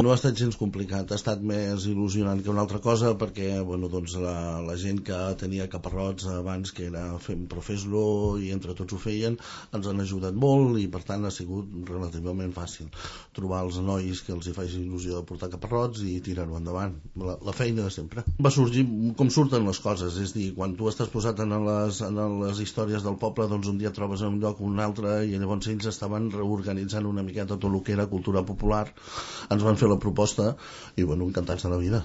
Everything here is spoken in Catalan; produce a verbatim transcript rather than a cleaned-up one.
No ha estat gens complicat, ha estat més il·lusionant que una altra cosa, perquè bueno, doncs la, la gent que tenia caparrots abans, que era fem, però fes-lo, i entre tots ho feien, ens han ajudat molt, i per tant ha sigut relativament fàcil trobar els nois que els hi faci il·lusió de portar caparrots i tirar-ho endavant. La, la feina de sempre. Va sorgir com surten les coses, és dir, quan tu estàs posat en les, en les històries del poble, doncs un dia et trobes en un lloc o un altre, i llavors ells estaven reorganitzant una miqueta tot el que era cultura popular, ens van fer la proposta i bueno, encantats de la vida.